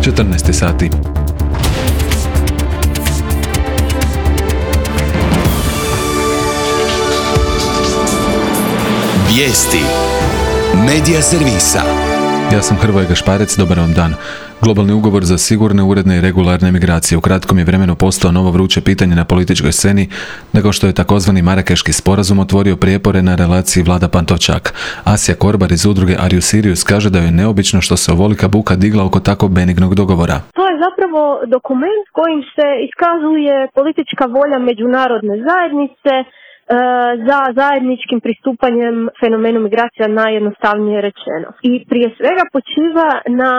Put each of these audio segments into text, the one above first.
14 sati. Vijesti Medija servisa. Ja sam Hrvoje Gašparec, dobar vam dan. Globalni ugovor za sigurne, uredne i regularne migracije u kratkom je vremenu postao novo vruće pitanje na političkoj sceni, nego što je takozvani Marakeški sporazum otvorio prijepore na relaciji Vlada-Pantovčak. Asja Korbar iz udruge Are You Serious kaže da je neobično što se ovolika buka digla oko tako benignog dogovora. To je zapravo dokument kojim se iskazuje politička volja međunarodne zajednice za zajedničkim pristupanjem fenomenu migracija, najjednostavnije rečeno. I prije svega počiva na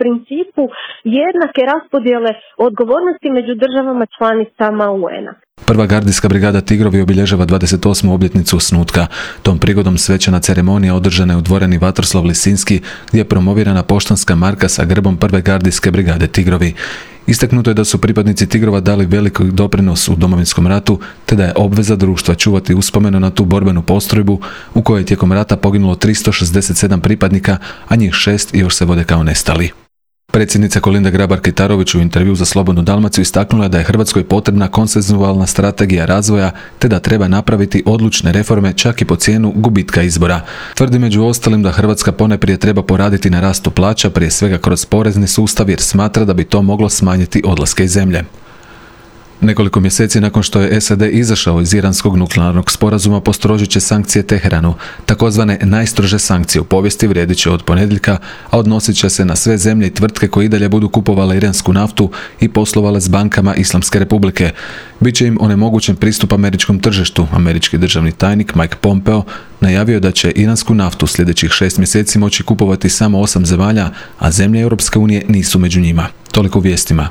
principu jednake raspodjele odgovornosti među državama članicama UN-a. Prva gardijska brigada Tigrovi obilježava 28. obljetnicu osnutka. Tom prigodom svečana ceremonija održana je u dvorani Vatroslav Lisinski, gdje je promovirana poštanska marka sa grbom prve gardijske brigade Tigrovi. Istaknuto je da su pripadnici Tigrova dali veliki doprinos u Domovinskom ratu, te da je obveza društva čuvati uspomenu na tu borbenu postrojbu u kojoj je tijekom rata poginulo 367 pripadnika, a njih 6 još se vode kao nestali. Predsjednica Kolinda Grabar-Kitarović u intervju za Slobodnu Dalmaciju istaknula je da je Hrvatskoj potrebna konsenzualna strategija razvoja, te da treba napraviti odlučne reforme čak i po cijenu gubitka izbora. Tvrdi među ostalim da Hrvatska ponajprije treba poraditi na rastu plaća, prije svega kroz porezni sustav, jer smatra da bi to moglo smanjiti odlaske iz zemlje. Nekoliko mjeseci nakon što je SAD izašao iz iranskog nuklearnog sporazuma, postrožit će sankcije Teheranu. Takozvane najstrože sankcije u povijesti vrijedit će od ponedjeljka, a odnosit će se na sve zemlje i tvrtke koje i dalje budu kupovale iransku naftu i poslovale s bankama Islamske republike. Biće im onemogućen pristup američkom tržištu. Američki državni tajnik Mike Pompeo najavio je da će iransku naftu sljedećih 6 mjeseci moći kupovati samo 8 zemalja, a zemlje Europske unije nisu među njima. Toliko u vijestima.